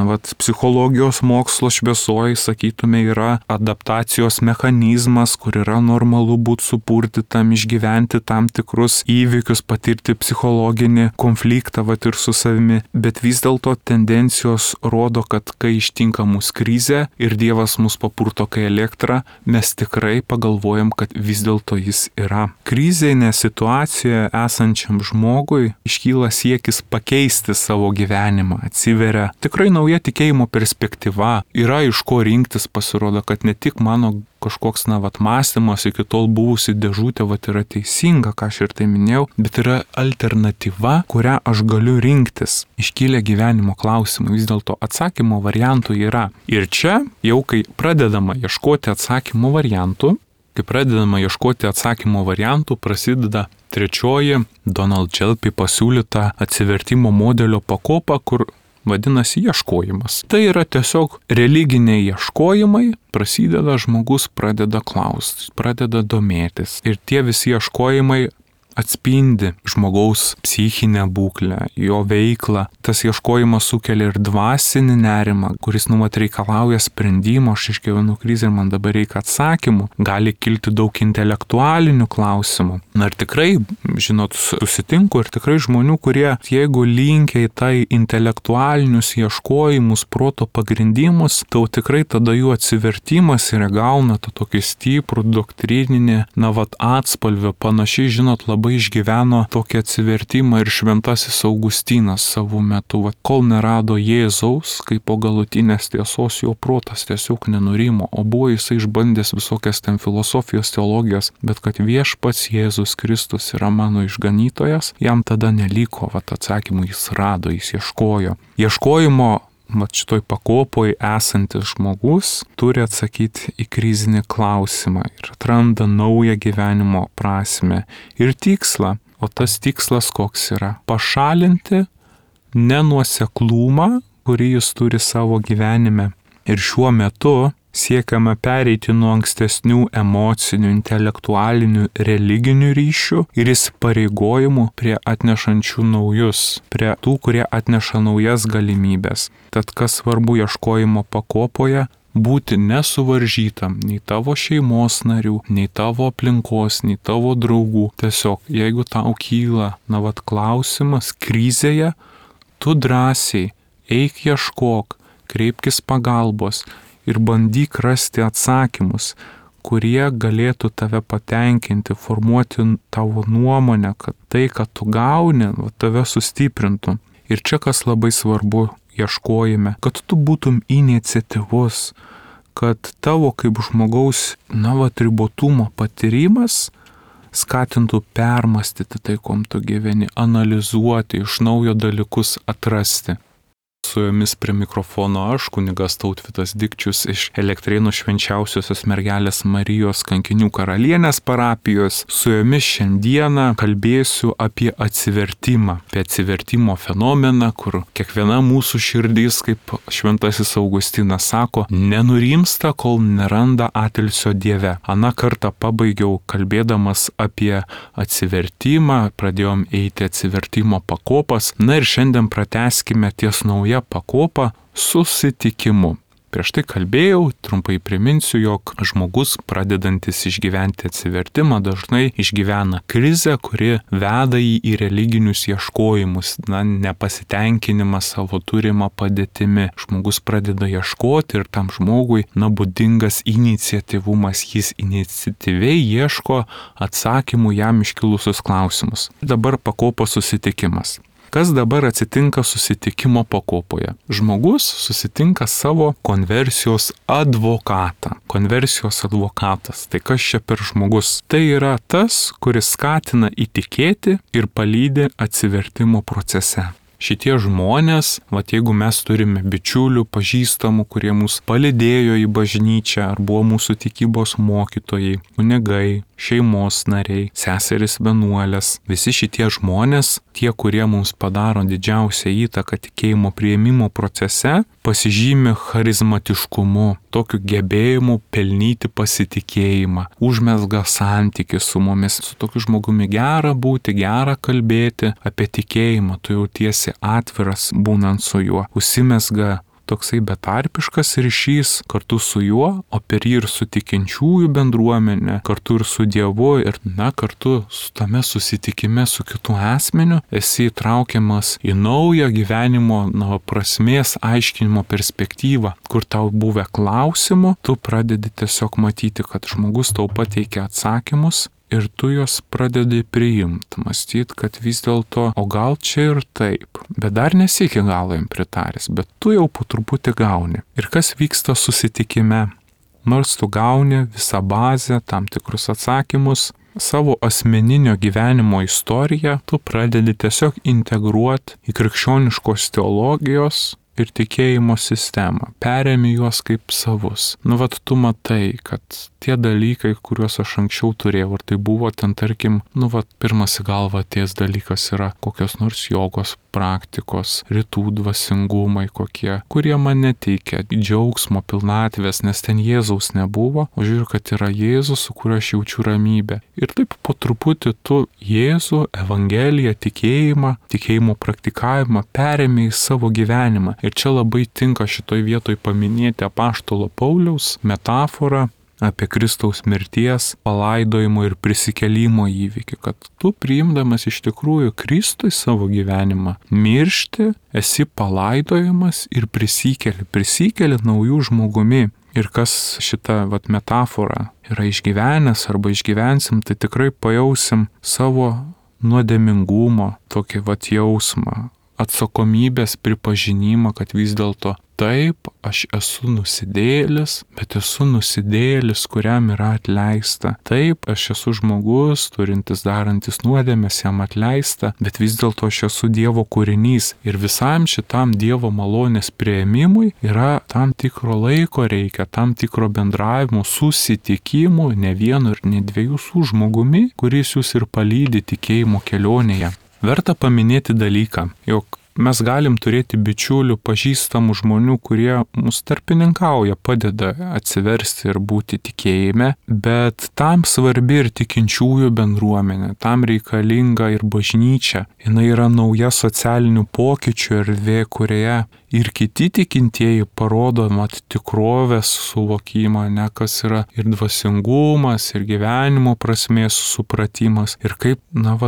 psichologijos mokslo šviesoje, sakytume, yra adaptacijos mechanizmas, kur yra normalu būti supurtytam, išgyventi tam tikrus įvykius, patirti psichologinį konfliktą ir su savimi. Bet vis dėlto tendencijos rodo, kad kai ištinka mūsų krizė ir Dievas mus papurto kai elektrą, mes tikrai pagalvojam, kad vis dėlto jis yra. Krizinė situacijoje esančiam žmogui iškyla siekis pakeisti savo gyvenimą, atsiveria tikrai nauja tikėjimo perspektyva, yra iš ko rinktis, pasirodo, kad ne tik mano kažkoks mąstymas iki tol buvusi dėžutė yra teisinga, ką aš ir tai minėjau, bet yra alternatyva, kurią aš galiu rinktis. Iškylė gyvenimo klausimai, vis dėlto atsakymo variantų yra. Ir čia jau kai pradedama ieškoti atsakymo variantų, prasideda trečioji Donald Jelpy pasiūlyta atsivertimo modelio pakopa, kur vadinasi ieškojimas. Tai yra tiesiog religiniai ieškojimai, prasideda, žmogus pradeda klausti, pradeda domėtis. Ir tie visi ieškojimai atspindi žmogaus psichinę būklę, jo veiklą. Tas ieškojimas sukelia ir dvasinį nerimą, kuris reikalauja sprendimo, aš išgyvenu krizę ir man dabar reikia atsakymų. Gali kilti daug intelektualinių klausimų. Ir tikrai, susitinku ir tikrai žmonių, kurie, jeigu linkia į tai intelektualinius ieškojimus, proto pagrindimus, tai tikrai tada jų atsivertimas ir gauna tą tokį stiprų doktrininį, atspalvį, panašiai, labai išgyveno tokį atsivertimą ir šventasis Augustinas savo metu. Kol nerado Jėzaus, kaip po galutinės tiesos, jo protas tiesiog nenurimo, o buvo jisai išbandęs visokias ten filosofijos, teologijos, bet kad viešpats Jėzus Kristus yra mano išganytojas, jam tada neliko atsakymų, jis rado, jis ieškojo. Ieškojimo šitoj pakopoj esantis žmogus turi atsakyti į krizinį klausimą ir atranda naują gyvenimo prasmę ir tikslą. O tas tikslas koks yra? Pašalinti nenuoseklumą, kurį jis turi savo gyvenime. Ir šiuo metu siekiama pereiti nuo ankstesnių emocinių, intelektualinių, religinių ryšių ir įsipareigojimų prie atnešančių naujus, prie tų, kurie atneša naujas galimybės. Tad kas svarbu ieškojimo pakopoje? Būti nesuvaržytam nei tavo šeimos narių, nei tavo aplinkos, nei tavo draugų. Tiesiog, jeigu tau kyla, klausimas krizėje, tu drąsiai eik ieškok, kreipkis pagalbos ir bandyk rasti atsakymus, kurie galėtų tave patenkinti, formuoti tavo nuomonę, kad tai, kad tu gauni, tave sustiprintų. Ir čia kas labai svarbu ieškojime, kad tu būtum iniciatyvus, kad tavo kaip žmogaus ribotumo patyrimas skatintų permastyti tai, kom tu gyveni, analizuoti, iš naujo dalykus atrasti. Su jumis prie mikrofono aš, kunigas Tautvydas Dikčius iš Elektrėnų Švenčiausiosios Mergelės Marijos Kankinių karalienės parapijos. Su jumis šiandieną kalbėsiu apie atsivertimą, apie atsivertimo fenomeną, kur kiekviena mūsų širdis, kaip šventasis Augustinas sako, nenurimsta, kol neranda atilsio Dieve. Aną kartą pabaigiau kalbėdamas apie atsivertimą, pradėjom eiti atsivertimo pakopas, ir šiandien pratęskime ties nauja pakopa susitikimu. Prieš tai kalbėjau, trumpai priminsiu, jog žmogus pradedantis išgyventi atsivertimą dažnai išgyvena krizę, kuri veda jį į religinius ieškojimus, nepasitenkinimą savo turimą padėtimi. Žmogus pradeda ieškoti ir tam žmogui būdingas iniciatyvumas, jis iniciatyviai ieško atsakymų jam iškilusius klausimus. Dabar pakopos susitikimas. Kas dabar atsitinka susitikimo pakopoje? Žmogus susitinka savo konversijos advokatą. Konversijos advokatas. Tai kas čia per žmogus? Tai yra tas, kuris skatina įtikėti ir palydi atsivertimo procese. Šitie žmonės, jeigu mes turime bičiulių, pažįstamų, kurie mus palydėjo į bažnyčią, ar buvo mūsų tikybos mokytojai, kunigai, šeimos nariai, seserys vienuolės, visi šitie žmonės, tie, kurie mums padaro didžiausią įtaką tikėjimo priėmimo procese, pasižymi charizmatiškumu, tokiu gebėjimu pelnyti pasitikėjimą, užmezga santykį su mumis, su tokiu žmogumi gera būti, gera kalbėti apie tikėjimą, tu jautiesi atviras būnant su juo, užsimezga toksai betarpiškas ryšys kartu su juo, o per jį ir su tikinčiųjų bendruomenė, kartu ir su Dievu ir, kartu su tame susitikime su kitu asmeniu esi įtraukiamas į naują gyvenimo prasmės aiškinimo perspektyvą, kur tau buvę klausimų, tu pradedi tiesiog matyti, kad žmogus tau pateikia atsakymus, ir tu juos pradedi priimti, mąstyti, kad vis dėlto, o gal čia ir taip, bet dar nesi iki galo jam pritaręs, bet tu jau po truputį gauni. Ir kas vyksta susitikime? Nors tu gauni visą bazę, tam tikrus atsakymus, savo asmeninio gyvenimo istoriją, tu pradedi tiesiog integruoti į krikščioniškos teologijos ir tikėjimo sistemą, perėmi juos kaip savus. Tu matai, kad tie dalykai, kuriuos aš anksčiau turėjau, ir tai buvo ten, tarkim, pirmas į galvą atėjęs dalykas yra kokios nors jogos praktikos, rytų dvasingumai kokie, kurie man neteikia džiaugsmo, pilnatvės, nes ten Jėzaus nebuvo, o žiūriu, kad yra Jėzus, su kuriuo aš jaučiu ramybę. Ir taip po truputį tu Jėzų, Evangeliją, tikėjimo praktikavimą perėmė į savo gyvenimą. Ir čia labai tinka šitoj vietoj paminėti apaštalo Pauliaus metaforą apie Kristaus mirties, palaidojimo ir prisikėlimo įvykį, kad tu priimdamas iš tikrųjų Kristui savo gyvenimą, miršti, esi palaidojamas ir prisikeli naujų žmogumi. Ir kas šitą metaforą yra išgyvenęs arba išgyvensim, tai tikrai pajausim savo nuodėmingumo tokį jausmą, atsakomybės pripažinimą, kad vis dėlto taip, aš esu nusidėjėlis, bet esu nusidėjėlis, kuriam yra atleista. Taip, aš esu žmogus, turintis darantis nuodėmes, jam atleista, bet vis dėlto aš esu Dievo kūrinys. Ir visam šitam Dievo malonės priėmimui yra tam tikro laiko reikia, tam tikro bendravimo, susitikimų, ne vieno ir ne dviejų su žmogumi, kuris jūs ir palydi tikėjimo kelionėje. Verta paminėti dalyką, jog mes galim turėti bičiulių, pažįstamų žmonių, kurie mus tarpininkauja, padeda atsiversti ir būti tikėjime, bet tam svarbi ir tikinčiųjų bendruomenė, tam reikalinga ir bažnyčia. Jinai yra nauja socialinių pokyčių erdvė, kurioje ir kiti tikintieji parodo tikrovės suvokimą, kas yra ir dvasingumas, ir gyvenimo prasmės supratimas, ir kaip,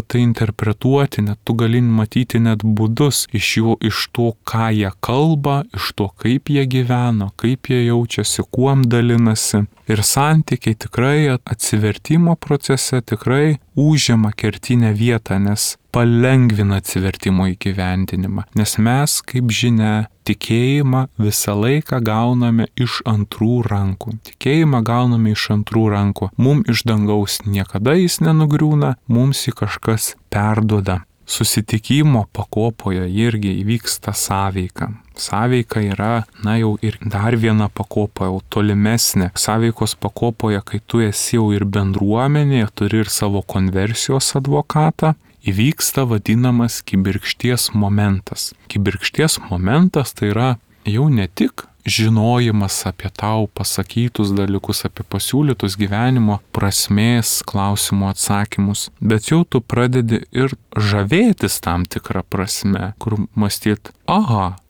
tai interpretuoti, net tu gali matyti net būdus iš to, ką jie kalba, iš to, kaip jie gyveno, kaip jie jaučiasi, kuom dalinasi. Ir santykiai tikrai atsivertimo procese tikrai užima kertinę vietą, nes palengvina atsivertimo įgyvendinimą. Nes mes, kaip žinia, tikėjimą visą laiką gauname iš antrų rankų. Tikėjimą gauname iš antrų rankų. Mums iš dangaus niekada jis nenugriūna, mums jį kažkas perduoda. Susitikimo pakopoje irgi įvyksta sąveika. Sąveika yra, jau ir dar viena pakopa, jau tolimesnė. Sąveikos pakopoje, kai tu esi jau ir bendruomenėje, turi ir savo konversijos advokatą, įvyksta vadinamas kibirkšties momentas. Kibirkšties momentas tai yra jau ne tik žinojimas apie tau pasakytus dalykus, apie pasiūlytus gyvenimo prasmės klausimų atsakymus, bet jau tu pradedi ir žavėtis tam tikrą prasme, kur mąstyt,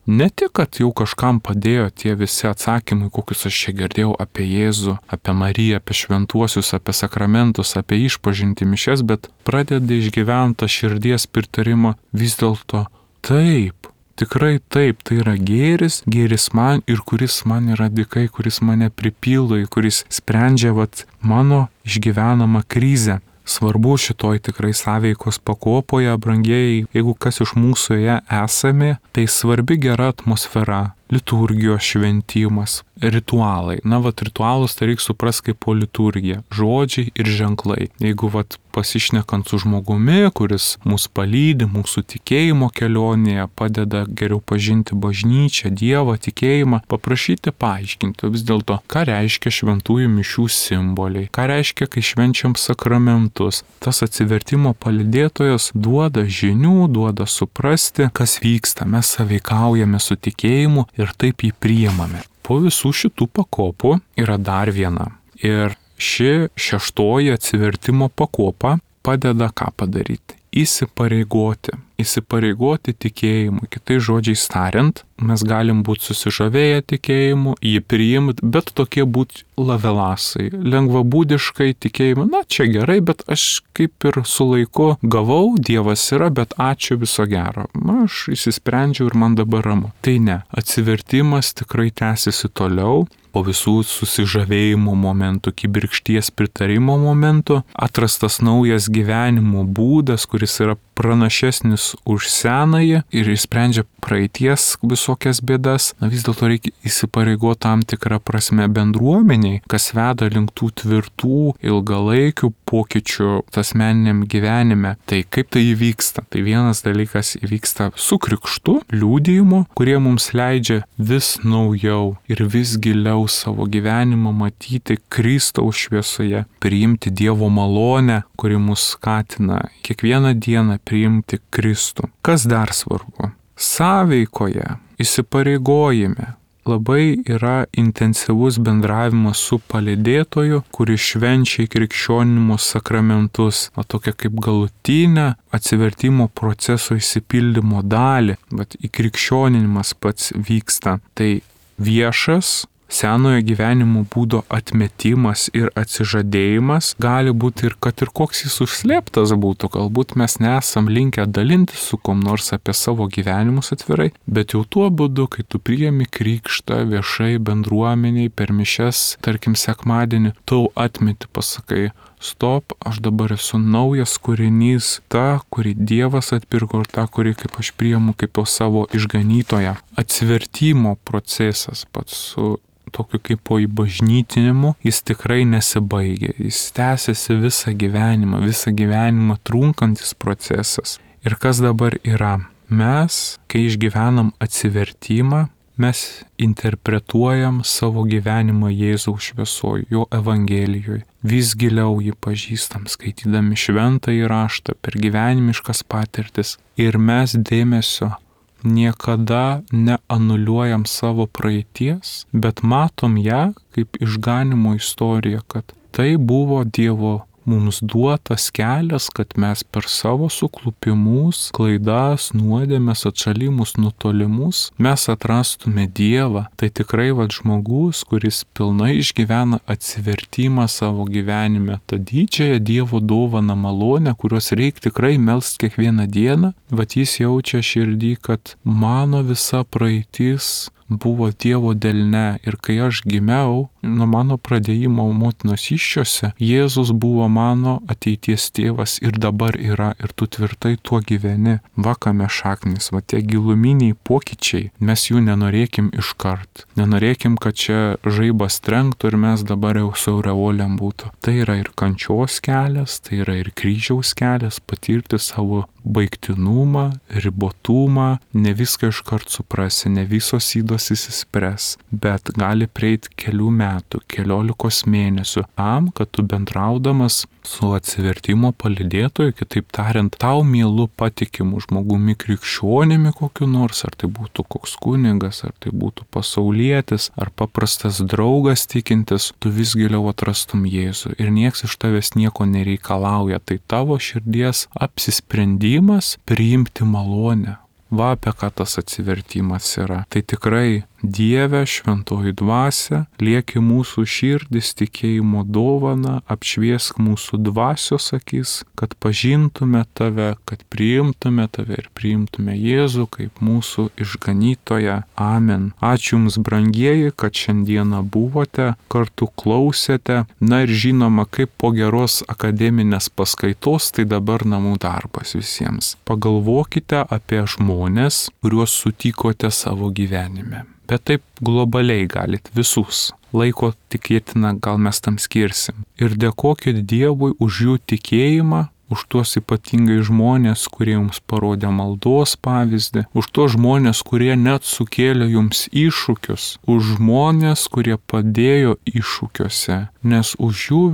ne tik, kad jau kažkam padėjo tie visi atsakymai, kokius aš čia girdėjau apie Jėzų, apie Mariją, apie šventuosius, apie sakramentus, apie išpažintį mišias, bet pradedi išgyventi širdies pritarimą, vis dėlto taip. Tikrai taip, tai yra gėris man ir kuris man yra dykai, kuris mane pripildo, kuris sprendžia mano išgyvenamą krizę. Svarbu šitoj tikrai sąveikos pakopoje, brangieji, jeigu kas iš mūsų ją esame, tai svarbi gera atmosfera, liturgijos šventimas, ritualai. Ritualus tai reikia suprasti kaip po liturgiją. Žodžiai ir ženklai. Jeigu pasišnekant su žmogumi, kuris mus palydi, mūsų tikėjimo kelionėje, padeda geriau pažinti bažnyčią, Dievą, tikėjimą, paprašyti paaiškinti vis dėlto, ką reiškia šventųjų mišių simboliai, ką reiškia, kai švenčiam sakramentus. Tas atsivertimo palydėtojas duoda žinių, duoda suprasti, kas vyksta. Mes sąveikaujame su tikėjimu ir taip jį priimame. Po visų šitų pakopų yra dar viena. Ir ši šeštoji atsivertimo pakopa padeda ką padaryti? Įsipareigoti tikėjimu. Kitais žodžiais tariant, mes galim būti susižavėję tikėjimu, jį priimti, bet tokie būti lavelasai, lengvabūdiškai tikėjimu. Čia gerai, bet aš kaip ir su laiku gavau, Dievas yra, bet ačiū, viso gero. Aš įsisprendžiau ir man dabar ramu. Tai ne, atsivertimas tikrai tęsiasi toliau. Po visų susižavėjimo momentų, kibirkšties pritarimo momentų, atrastas naujas gyvenimo būdas, kuris yra pranašesnis už senąjį ir išsprendžia praeities visokias bėdas. Vis dėlto reikia įsipareigoti tam tikrą prasme bendruomeniai, kas veda link tų tvirtų, ilgalaikių pokyčių asmeniniam gyvenime. Tai kaip tai įvyksta? Tai vienas dalykas įvyksta su krikštu, liudijimu, kurie mums leidžia vis naujau ir vis giliau savo gyvenimą matyti Kristaus šviesoje, priimti Dievo malonę, kuri mus skatina kiekvieną dieną priimti Kristų. Kas dar svarbu? Sąveikoje, įsipareigojime labai yra intensyvus bendravimas su palydėtoju, kuris švenčia krikščionimo sakramentus, tokia kaip galutinę atsivertimo proceso išsipildymo dalį, bet įkrikščioninimas pats vyksta. Tai viešas senojo gyvenimo būdo atmetimas ir atsižadėjimas gali būti ir kad ir koks jis užslėptas būtų, galbūt mes nesam linkę dalintis su kom nors apie savo gyvenimus atvirai, bet jau tuo būdu, kai tu priimi krikštą viešai bendruomeniai per mišias, tarkim sekmadienį, tu atmeti, pasakai, stop, aš dabar esu naujas kūrinys, ta, kurį Dievas atpirko ir ta, kurį kaip aš priimu kaip savo išganytoją. Atsivertimo procesas pats su tokiu kaip po įbažnytinimu, jis tikrai nesibaigia, jis tęsiasi visą gyvenimą trunkantis procesas. Ir kas dabar yra? Mes, kai išgyvenam atsivertimą, mes interpretuojam savo gyvenimą Jėzaus šviesoje, jo evangelijoje. Vis giliau jį pažįstam, skaitydami šventąjį raštą per gyvenimiškas patirtis. Ir mes dėmesio niekada neanuliuojam savo praeities, bet matom ją kaip išganimo istoriją, kad tai buvo Dievo mums duotas kelias, kad mes per savo suklupimus, klaidas, nuodėmes, atšalimus, nutolimus, mes atrastume Dievą. Tai tikrai žmogus, kuris pilnai išgyvena atsivertimą savo gyvenime, tą didžiąją Dievo dovaną malonę, kurios reikia tikrai melst kiekvieną dieną, jis jaučia širdį, kad mano visa praeitis buvo Dievo delne ir kai aš gimiau, nuo mano pradėjimo motinos įsčiose, Jėzus buvo mano ateities tėvas ir dabar yra ir tu tvirtai tuo gyveni. Kame šaknis, tie giluminiai pokyčiai, mes jų nenorėkim iškart. Nenorėkim, kad čia žaibas trenktų ir mes dabar jau su aureolėm būtų. Tai yra ir kančios kelias, tai yra ir kryžiaus kelias, patirti savo baigtinumą, ribotumą, ne viską iškart suprasi, ne visos ydos įsispręs, bet gali prieiti kelių metų, 14 mėnesių, kad tu bendraudamas su atsivertimo palydėtoju, kitaip tariant, tau mielu patikimu žmogumi krikščionimi kokiu nors, ar tai būtų koks kunigas, ar tai būtų pasaulietis, ar paprastas draugas tikintis, tu vis giliau atrastum Jėzų ir nieks iš tavęs nieko nereikalauja, tai tavo širdies apsisprendimas priimti malonę. Apie ką tas atsivertimas yra. Tai tikrai Dieve, šventoji dvasia, lieki mūsų širdis tikėjimo dovana, apšviesk mūsų dvasios akis, kad pažintume tave, kad priimtume tave ir priimtume Jėzų kaip mūsų išganytoją. Amen. Ačiū Jums, brangieji, kad šiandieną buvote, kartu klausėte. Ir žinoma, kaip po geros akademinės paskaitos, tai dabar namų darbas visiems. Pagalvokite apie žmones, kuriuos sutikote savo gyvenime. bet taip globaliai galit visus. Laiko tikėtina, gal mes tam skirsim. Ir dėkokit Dievui už jų tikėjimą, už tuos ypatingai žmonės, kurie jums parodė maldos pavyzdį, už tuos žmonės, kurie net sukėlė jums iššūkius, už žmonės, kurie padėjo iššūkiuose, nes už jų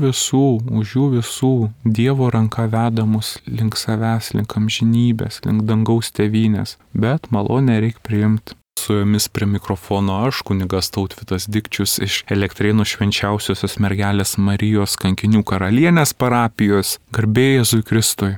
visų Dievo ranka veda mus link savęs, link amžinybės, link dangaus tėvynės, bet malonę reikia priimti. Su jumis prie mikrofono aš, kunigas Tautvydas Dikčius iš Elektrėnų Švenčiausiosios Mergelės Marijos Kankinių karalienės parapijos. Garbė Jėzui Kristui.